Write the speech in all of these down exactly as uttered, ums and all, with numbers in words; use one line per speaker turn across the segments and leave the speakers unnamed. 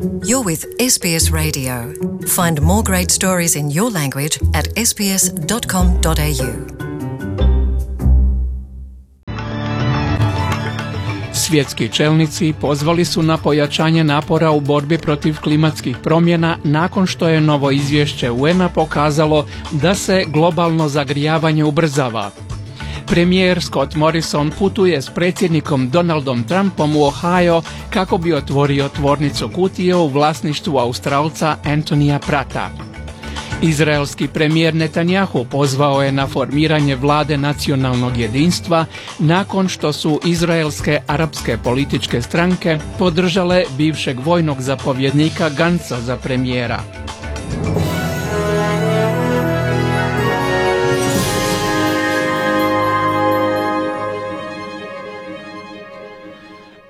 You're with S B S Radio. Find more great stories in your language at s b s dot com dot a u.
Svjetski čelnici pozvali su na pojačanje napora u borbi protiv klimatskih promjena nakon što je novo izvješće U N-a pokazalo da se globalno zagrijavanje ubrzava. Premijer Scott Morrison putuje s predsjednikom Donaldom Trumpom u Ohio kako bi otvorio tvornicu kutije u vlasništvu Australca Anthonyja Prata. Izraelski premijer Netanjahu pozvao je na formiranje vlade nacionalnog jedinstva nakon što su izraelske arapske političke stranke podržale bivšeg vojnog zapovjednika Gantza za premijera.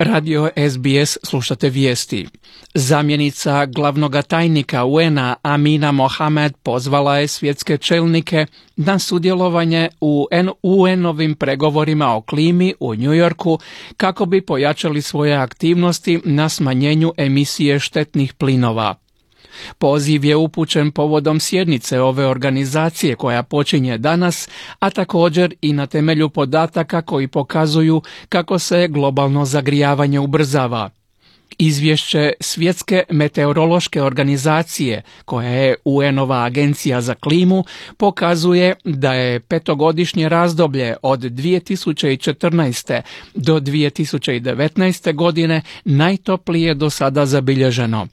Radio S B S slušate vijesti. Zamjenica glavnog tajnika U N-a Amina Mohamed pozvala je svjetske čelnike na sudjelovanje u U N-ovim pregovorima o klimi u New Yorku kako bi pojačali svoje aktivnosti na smanjenju emisije štetnih plinova. Poziv je upućen povodom sjednice ove organizacije koja počinje danas, a također i na temelju podataka koji pokazuju kako se globalno zagrijavanje ubrzava. Izvješće Svjetske meteorološke organizacije, koja je U N-ova agencija za klimu, pokazuje da je petogodišnje razdoblje od dvije tisuće četrnaeste do dvije tisuće devetnaeste godine najtoplije do sada zabilježeno.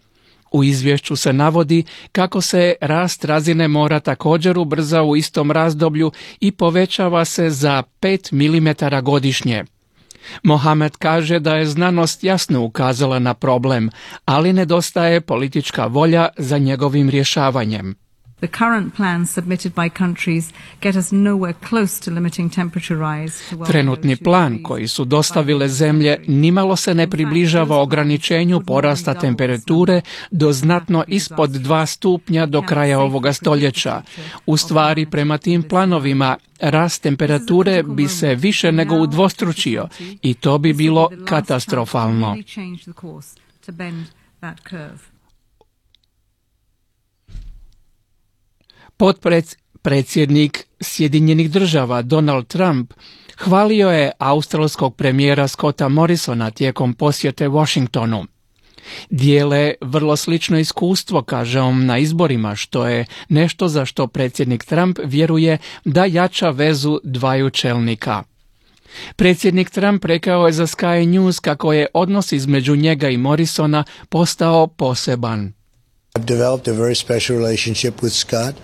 U izvješću se navodi kako se rast razine mora također ubrza u istom razdoblju i povećava se za pet milimetara godišnje. Mohamed kaže da je znanost jasno ukazala na problem, ali nedostaje politička volja za njegovim rješavanjem.
The current plans submitted by countries get us nowhere close to limiting temperature rise to well
Trenutni plan koji su dostavile zemlje nimalo se ne približava ograničenju porasta temperature do znatno ispod dva stupnja do kraja ovoga stoljeća. U stvari, prema tim planovima, rast temperature bi se više nego udvostručio i to bi bilo katastrofalno. Potpredsjednik Sjedinjenih država Donald Trump hvalio je australskog premijera Scotta Morrisona tijekom posjete Washingtonu. Dijele vrlo slično iskustvo, kaže on, na izborima, što je nešto za što predsjednik Trump vjeruje da jača vezu dvaju čelnika. Predsjednik Trump rekao je za Sky News kako je odnos između njega i Morrisona postao poseban.
I've developed a very special relationship with Scott.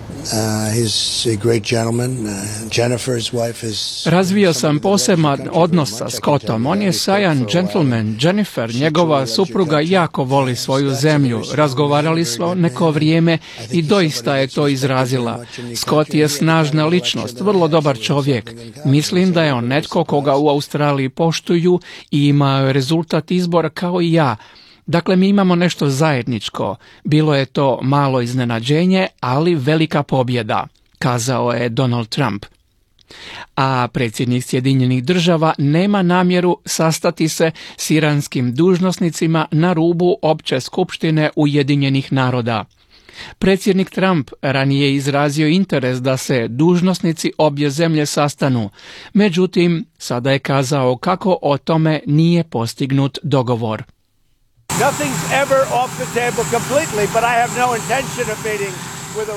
Uh, he's a great gentleman. Uh, Jennifer's wife is...
Razvio sam poseban odnos sa Scottom. On je sjajan gentleman. Jennifer, njegova supruga, jako voli svoju zemlju. Razgovarali smo neko vrijeme i doista je to izrazila. Scott je snažna ličnost, vrlo dobar čovjek. Mislim da je on netko koga u Australiji poštuju i ima rezultat izbora kao i ja. Dakle, mi imamo nešto zajedničko. Bilo je to malo iznenađenje, ali velika pobjeda, kazao je Donald Trump. A predsjednik Sjedinjenih država nema namjeru sastati se s iranskim dužnosnicima na rubu opće skupštine Ujedinjenih naroda. Predsjednik Trump ranije je izrazio interes da se dužnosnici obje zemlje sastanu, međutim, sada je kazao kako o tome nije postignut dogovor.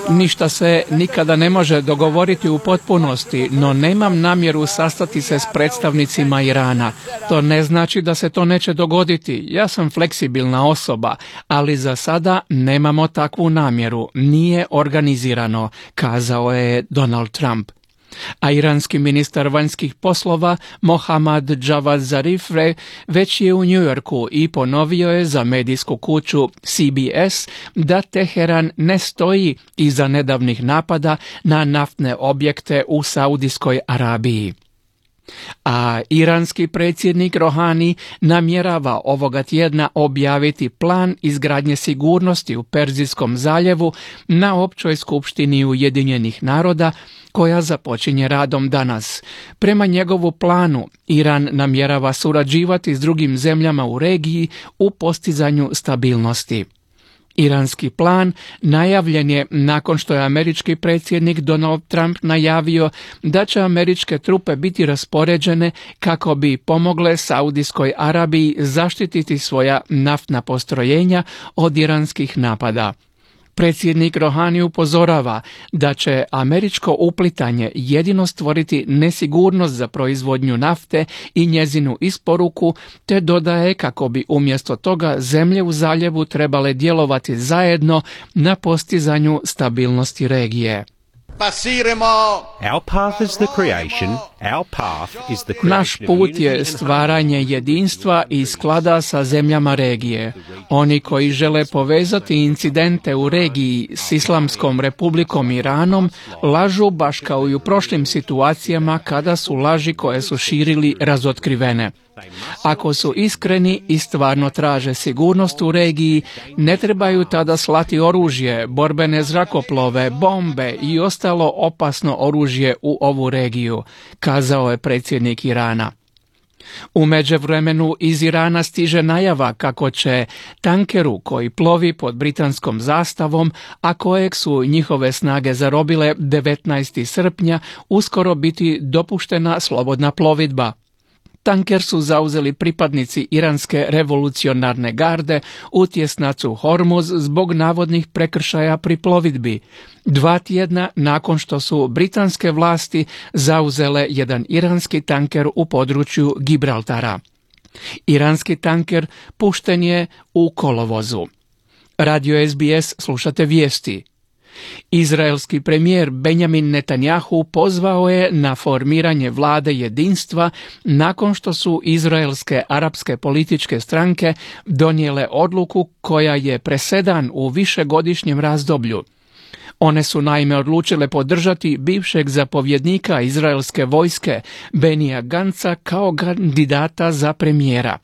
Ništa se nikada ne može dogovoriti u potpunosti, no nemam namjeru sastati se s predstavnicima Irana. To ne znači da se to neće dogoditi. Ja sam fleksibilna osoba, ali za sada nemamo takvu namjeru. Nije organizirano, kazao je Donald Trump. A iranski ministar vanjskih poslova Mohammad Javad Zarif već je u New Yorku i ponovio je za medijsku kuću C B S da Teheran ne stoji iza nedavnih napada na naftne objekte u Saudijskoj Arabiji. A iranski predsjednik Rohani namjerava ovoga tjedna objaviti plan izgradnje sigurnosti u Perzijskom zaljevu na općoj skupštini Ujedinjenih naroda koja započinje radom danas. Prema njegovu planu, Iran namjerava surađivati s drugim zemljama u regiji u postizanju stabilnosti. Iranski plan najavljen je nakon što je američki predsjednik Donald Trump najavio da će američke trupe biti raspoređene kako bi pomogle Saudijskoj Arabiji zaštititi svoja naftna postrojenja od iranskih napada. Predsjednik Rohani upozorava da će američko uplitanje jedino stvoriti nesigurnost za proizvodnju nafte i njezinu isporuku, te dodaje kako bi umjesto toga zemlje u zaljevu trebale djelovati zajedno na postizanju stabilnosti regije.
Our path is the creation. Our path is the creation.
Naš put je stvaranje jedinstva i sklada sa zemljama regije. Oni koji žele povezati incidente u regiji s Islamskom republikom Iranom lažu baš kao i u prošlim situacijama kada su laži koje su širili razotkrivene. Ako su iskreni i stvarno traže sigurnost u regiji, ne trebaju tada slati oružje, borbene zrakoplove, bombe i ostalo opasno oružje u ovu regiju, kazao je predsjednik Irana. U međuvremenu iz Irana stiže najava kako će tankeru koji plovi pod britanskom zastavom, a kojeg su njihove snage zarobile devetnaestog srpnja, uskoro biti dopuštena slobodna plovidba. Tanker su zauzeli pripadnici Iranske revolucionarne garde u tjesnacu Hormuz zbog navodnih prekršaja pri plovidbi, dva tjedna nakon što su britanske vlasti zauzele jedan iranski tanker u području Gibraltara. Iranski tanker pušten je u kolovozu. Radio S B S slušate vijesti. Izraelski premijer Benjamin Netanjahu pozvao je na formiranje vlade jedinstva nakon što su izraelske arapske političke stranke donijele odluku koja je presedan u višegodišnjem razdoblju. One su naime odlučile podržati bivšeg zapovjednika izraelske vojske Benija Ganca kao kandidata za premijera.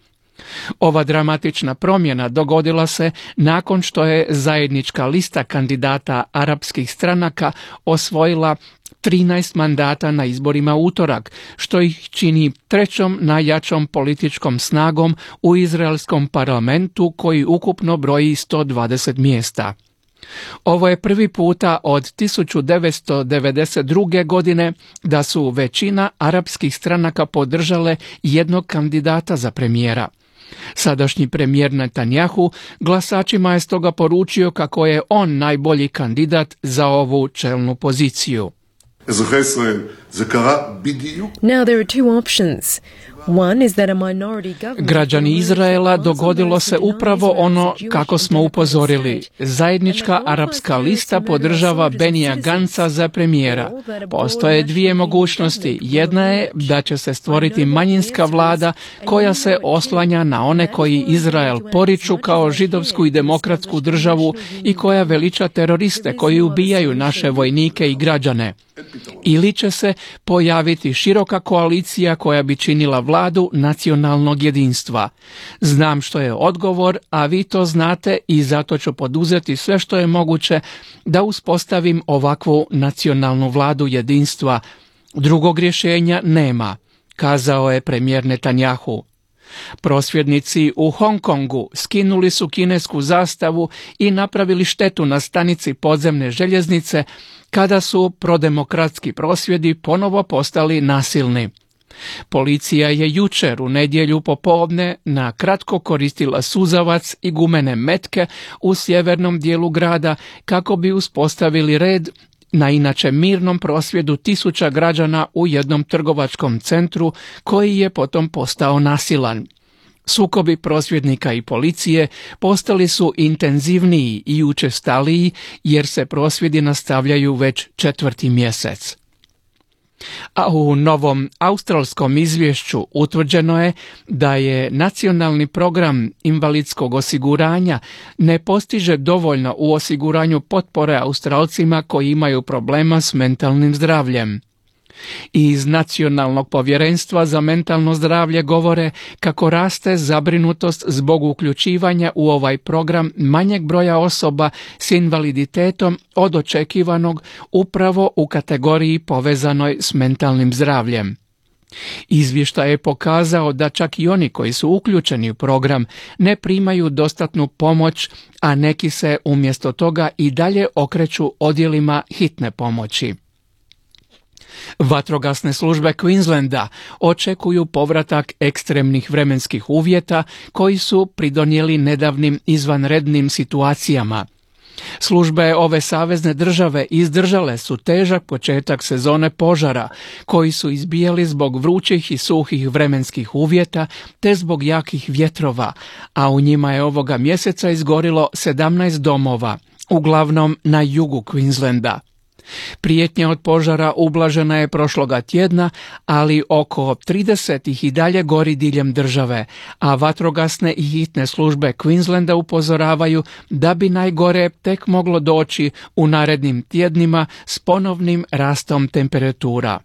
Ova dramatična promjena dogodila se nakon što je zajednička lista kandidata arapskih stranaka osvojila trinaest mandata na izborima u utorak, što ih čini trećom najjačom političkom snagom u izraelskom parlamentu koji ukupno broji sto dvadeset mjesta. Ovo je prvi puta od tisuću devetsto devedeset druge. godine da su većina arapskih stranaka podržale jednog kandidata za premijera. Sadašnji premijer Netanjahu glasačima je stoga poručio kako je on najbolji kandidat za ovu čelnu poziciju.
Now there are two options. One is that a minority government...
Građani Izraela, dogodilo se upravo ono kako smo upozorili. Zajednička arapska lista podržava Benija Ganca za premijera. Postoje dvije mogućnosti. Jedna je da će se stvoriti manjinska vlada koja se oslanja na one koji Izrael poriču kao židovsku i demokratsku državu i koja veliča teroriste koji ubijaju naše vojnike i građane. Ili će se pojaviti široka koalicija koja bi činila vladu nacionalnog jedinstva. Znam što je odgovor, a vi to znate i zato ću poduzeti sve što je moguće da uspostavim ovakvu nacionalnu vladu jedinstva. Drugog rješenja nema, kazao je premijer Netanjahu. Prosvjednici u Hong Kongu skinuli su kinesku zastavu i napravili štetu na stanici podzemne željeznice kada su prodemokratski prosvjedi ponovo postali nasilni. Policija je jučer u nedjelju popodne na kratko koristila suzavac i gumene metke u sjevernom dijelu grada kako bi uspostavili red na inače mirnom prosvjedu tisuća građana u jednom trgovačkom centru koji je potom postao nasilan. Sukobi prosvjednika i policije postali su intenzivniji i učestaliji jer se prosvjedi nastavljaju već četvrti mjesec. A u novom australskom izvješću utvrđeno je da je nacionalni program invalidskog osiguranja ne postiže dovoljno u osiguranju potpore Australcima koji imaju problema s mentalnim zdravljem. Iz Nacionalnog povjerenstva za mentalno zdravlje govore kako raste zabrinutost zbog uključivanja u ovaj program manjeg broja osoba s invaliditetom od očekivanog upravo u kategoriji povezanoj s mentalnim zdravljem. Izvještaj je pokazao da čak i oni koji su uključeni u program ne primaju dostatnu pomoć, a neki se umjesto toga i dalje okreću odjelima hitne pomoći. Vatrogasne službe Queenslanda očekuju povratak ekstremnih vremenskih uvjeta koji su pridonijeli nedavnim izvanrednim situacijama. Službe ove savezne države izdržale su težak početak sezone požara, koji su izbijali zbog vrućih i suhih vremenskih uvjeta te zbog jakih vjetrova, a u njima je ovoga mjeseca izgorilo sedamnaest domova, uglavnom na jugu Queenslanda. Prijetnja od požara ublažena je prošloga tjedna, ali oko trideset ih i dalje gori diljem države, a vatrogasne i hitne službe Queenslanda upozoravaju da bi najgore tek moglo doći u narednim tjednima s ponovnim rastom temperatura.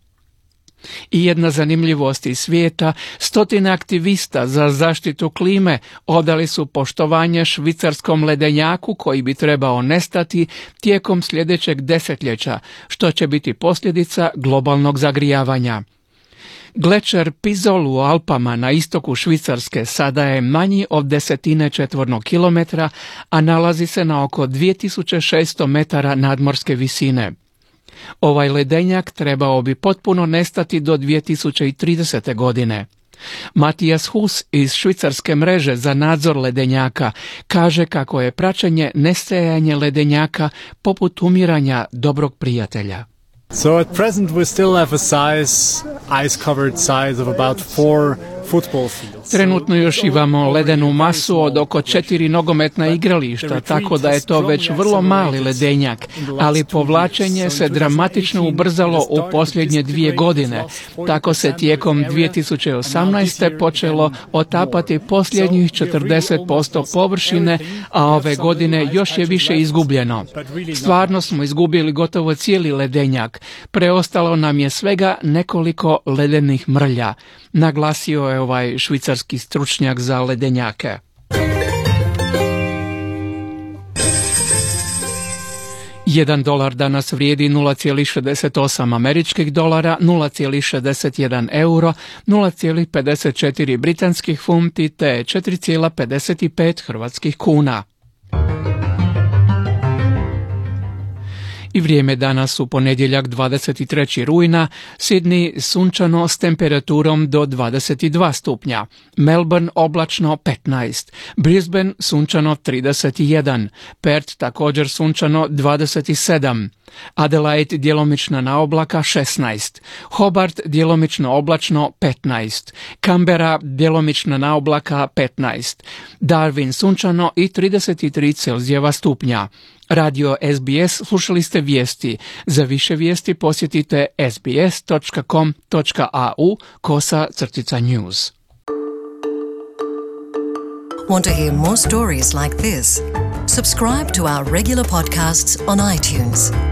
I jedna zanimljivost iz svijeta, stotine aktivista za zaštitu klime odali su poštovanje švicarskom ledenjaku koji bi trebao nestati tijekom sljedećeg desetljeća, što će biti posljedica globalnog zagrijavanja. Glečer Pizol u Alpama na istoku Švicarske sada je manji od desetine četvornog kilometra, a nalazi se na oko dvije tisuće šesto metara nadmorske visine. Ovaj ledenjak trebao bi potpuno nestati do dvije tisuće tridesete. godine. Matijas Hus iz švicarske mreže za nadzor ledenjaka kaže kako je praćenje nestajanje ledenjaka poput umiranja dobrog prijatelja.
So at present we still have a size, ice-covered size of about four football fields.
Trenutno još imamo ledenu masu od oko četiri nogometna igrališta, tako da je to već vrlo mali ledenjak, ali povlačenje se dramatično ubrzalo u posljednje dvije godine. Tako se tijekom dvije tisuće osamnaeste. počelo otapati posljednjih četrdeset posto površine, a ove godine još je više izgubljeno. Stvarno smo izgubili gotovo cijeli ledenjak. Preostalo nam je svega nekoliko ledenih mrlja, naglasio je ovaj švicarski stručnjak za ledenjake. Jedan dolar danas vrijedi nula zarez šezdeset osam američkih dolara, nula zarez šezdeset jedan euro, nula zarez pedeset četiri britanskih funti te četiri zarez pedeset pet hrvatskih kuna. I vrijeme danas u ponedjeljak dvadeset trećeg rujna, Sydney sunčano s temperaturom do dvadeset dva stupnja, Melbourne oblačno petnaest, Brisbane sunčano trideset jedan, Perth također sunčano dvadeset sedam, Adelaide djelomična na oblaka šesnaest, Hobart djelomično oblačno petnaest, Canberra djelomična na oblaka petnaest, Darwin sunčano i trideset tri Celzijeva stupnja. Radio S B S, slušali ste vijesti. Za više vijesti posjetite sbs dot com dot a u kosa crtica news.
Want to hear more stories like this? Subscribe to our regular podcasts on iTunes.